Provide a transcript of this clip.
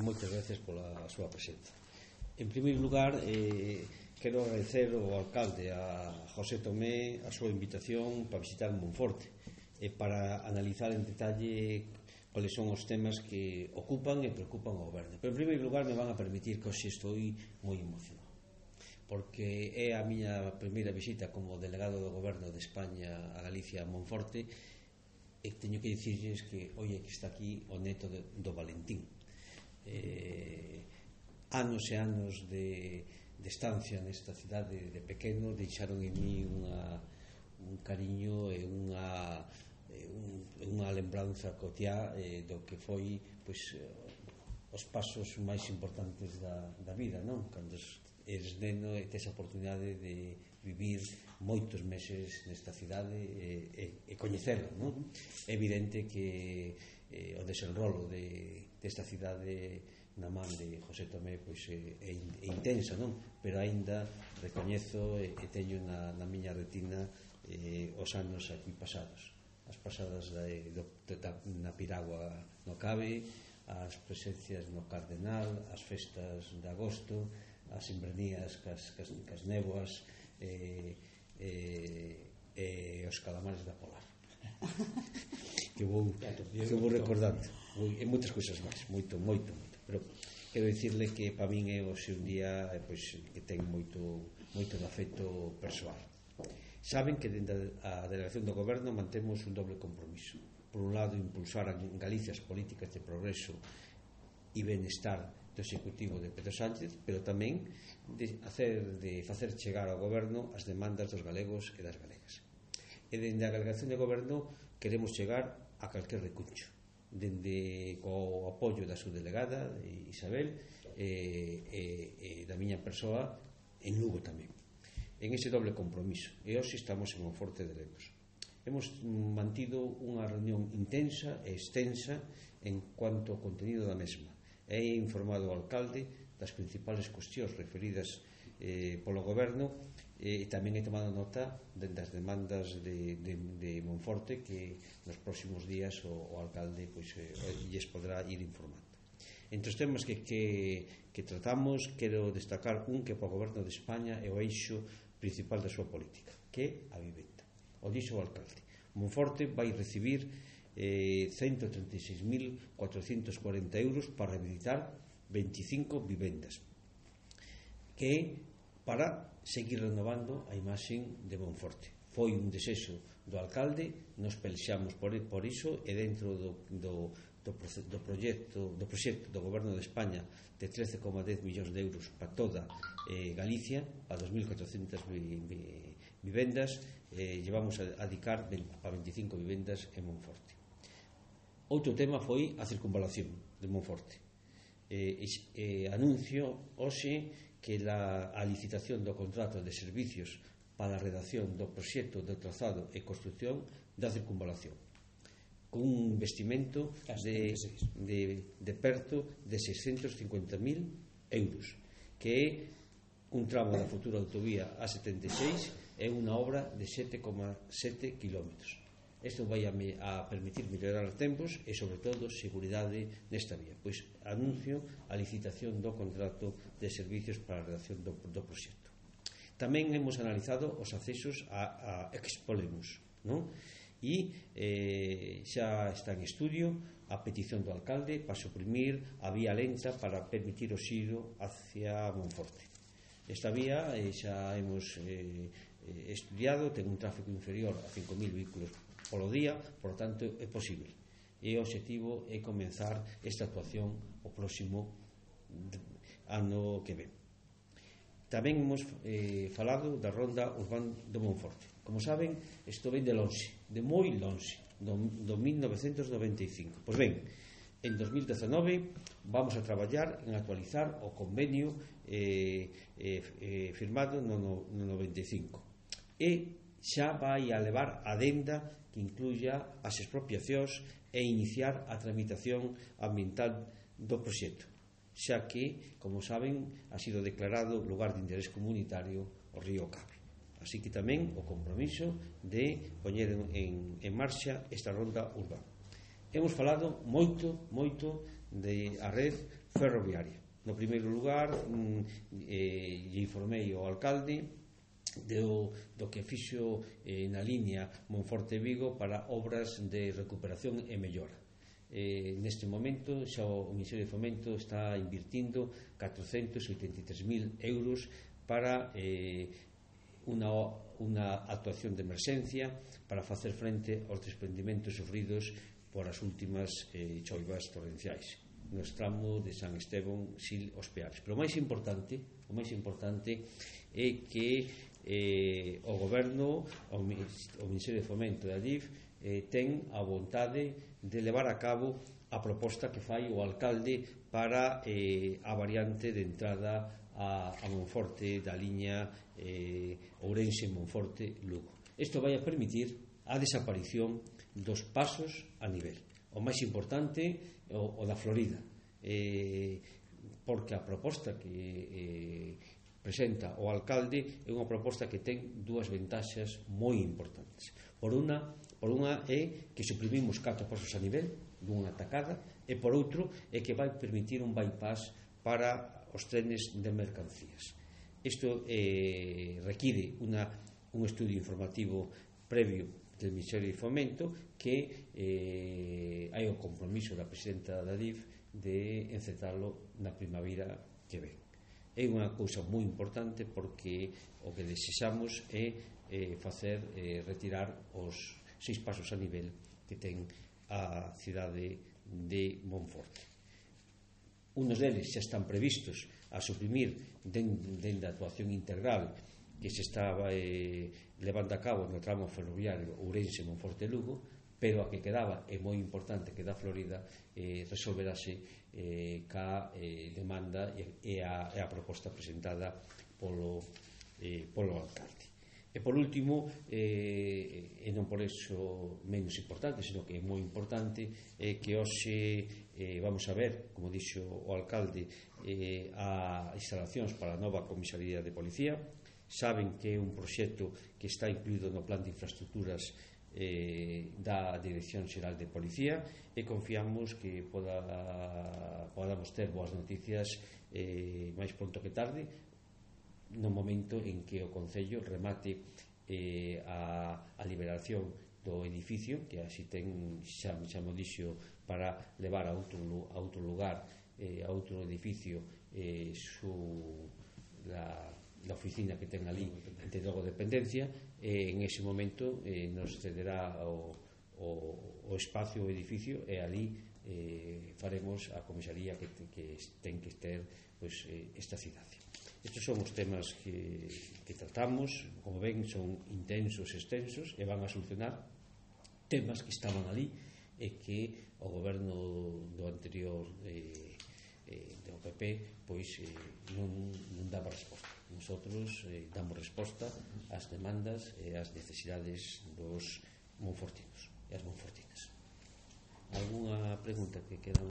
moitas gracias pola súa presenza. En primeiro lugar, quero agradecer ao alcalde, a José Tomé, a súa invitación para visitar Monforte e para analizar en detalle cuáles son os temas que ocupan e preocupan ao goberno. Pero en primeiro lugar me van a permitir que hoxe estou moi emocionado, porque é a miña primeira visita como delegado do goberno de España a Galicia, a Monforte, e teño que dicirles que hoxe que está aquí o neto do Valentín. Anos e anos de estancia nesta cidade de pequeno deixaron en mí un cariño e unha lembranza cotiá do que foi os pasos máis importantes da vida, non? Cando eres neno e tes a oportunidade de vivir moitos meses nesta cidade e coñecerla, non? É evidente que o desenrolo desta cidade na man de José Tomé é intensa, non? Pero aínda recoñezo e teño na miña retina os anos aquí pasados, as pasadas na piragua no Cabe, as presencias no Cardenal, as festas de agosto, as sembranías cas néboas e os calamares da Polar que vou recordando e moitas cousas máis, moito, pero quero dicirle que para min é o seu día que ten moito de afecto persoal. Saben que dentro da delegación do goberno mantemos un doble compromiso: por un lado impulsar en Galicia as políticas de progreso e benestar do executivo de Pedro Sánchez, pero tamén de facer chegar ao goberno as demandas dos galegos e das galegas. E dende a delegación de goberno queremos chegar a calquer recuncho, dende co apoio da súa delegada Isabel e da miña persoa en Lugo tamén, en ese doble compromiso. E hoxe estamos en Monforte de Lemos. Hemos mantido unha reunión intensa e extensa en cuanto ao contenido da mesma. He informado ao alcalde das principales cuestións referidas polo goberno e tamén he tomado nota das demandas de Monforte que nos próximos días o alcalde lles podrá ir informando. Entre os temas que tratamos, quero destacar un que para o goberno de España é o eixo principal da súa política, que é a vivenda. O dixo o alcalde: Monforte vai recibir 136.440 euros para rehabilitar 25 vivendas, que é para seguir renovando a imaxe de Monforte. Foi un desexo do alcalde, nos pelexamos por iso, e dentro do proxecto do goberno de España de 13,10 millóns de euros para toda Galicia, para 2.400 vivendas, llevamos a dedicar para 25 vivendas en Monforte. Outro tema foi a circunvalación de Monforte. Anuncio hoxe que a licitación do contrato de servicios para a redacción do proxecto de trazado e construcción da circunvalación, con un investimento de perto de 650.000 euros, que é un tramo da futura autovía A76 e unha obra de 7,7 kilómetros. Isto vai a permitir mellorar os tempos e, sobre todo, seguridade nesta vía. Pois anuncio a licitación do contrato de servicios para a redacción do proxecto. Tamén hemos analizado os accesos a Expolemos, non? E xa está en estudio a petición do alcalde para suprimir a vía lenta para permitir o xiro hacia Monforte. Esta vía xa hemos estudiado, ten un tráfico inferior a 5.000 vehículos polo día, por tanto é posible, e o obxectivo é comenzar esta actuación o próximo ano que ven. Tamén hemos falado da ronda urbana do Monforte. Como saben, isto ven de lonxe, de moi lonxe, do 1995. Pois ben, en 2019 vamos a traballar en actualizar o convenio firmado no 95, e xa vai a levar a adenda que incluya as expropiacións e iniciar a tramitación ambiental do proxecto, xa que, como saben, ha sido declarado lugar de interés comunitario o río Cabe. Así que tamén o compromiso de poñer en marcha esta ronda urbana. Hemos falado moito da red ferroviaria. No primeiro lugar, lle informei ao alcalde do que fixo na liña Monforte-Vigo para obras de recuperación e mellora. Neste momento xa o Ministerio de Fomento está invirtindo 483.000 euros para unha actuación de emerxencia para facer frente aos desprendimentos sofridos por as últimas choivas torrenciais nos tramos de San Esteban, Sil, Os Peares. Pero o máis importante é que o Goberno, o Ministerio de Fomento e a DIF ten a vontade de levar a cabo a proposta que fai o alcalde para a variante de entrada a Monforte da liña Ourense-Monforte-Lugo. Isto vai a permitir a desaparición dos pasos a nivel. O máis importante o da Florida, porque a proposta que presenta o alcalde é unha proposta que ten dúas ventaxas moi importantes. Por unha é que suprimimos 4 pasos a nivel dunha tacada, e por outro é que vai permitir un bypass para os trenes de mercancías. Isto require un estudio informativo previo del Ministerio de Fomento, que hai o compromiso da presidenta da DIF de encetarlo na primavera que ven. É unha cousa moi importante porque o que desexamos é retirar os 6 pasos a nivel que ten a cidade de Monforte. Unos deles xa están previstos a suprimir dende a actuación integral que se estaba levando a cabo no tramo ferroviario Ourense-Monforte-Lugo, pero a que quedaba, é moi importante que da Florida resolverase ca demanda e a proposta presentada polo alcalde. E por último, e non por eso menos importante, sino que é moi importante, que hoxe vamos a ver, como dixo o alcalde, a instalacións para a nova comisaría de policía. Saben que é un proxecto que está incluído no plan de infraestructuras da Dirección Xeral de Policía, e confiamos que podamos ter boas noticias máis pronto que tarde, no momento en que o Concello remate a liberación do edificio, que así ten, xa mo dixo, para levar a outro lugar, a outro edificio, la oficina que ten ali de logo dependencia, e en ese momento nos cederá o espacio, o edificio, e ali faremos a comisaría que ten que ter esta cidade. Estes son os temas que tratamos. Como ven, son intensos, extensos, e van a solucionar temas que estaban ali e que o goberno do anterior do PP non daba resposta. Nosotros damos resposta ás demandas e ás necesidades dos monfortinos e as monfortinas. Alguna pregunta que queda?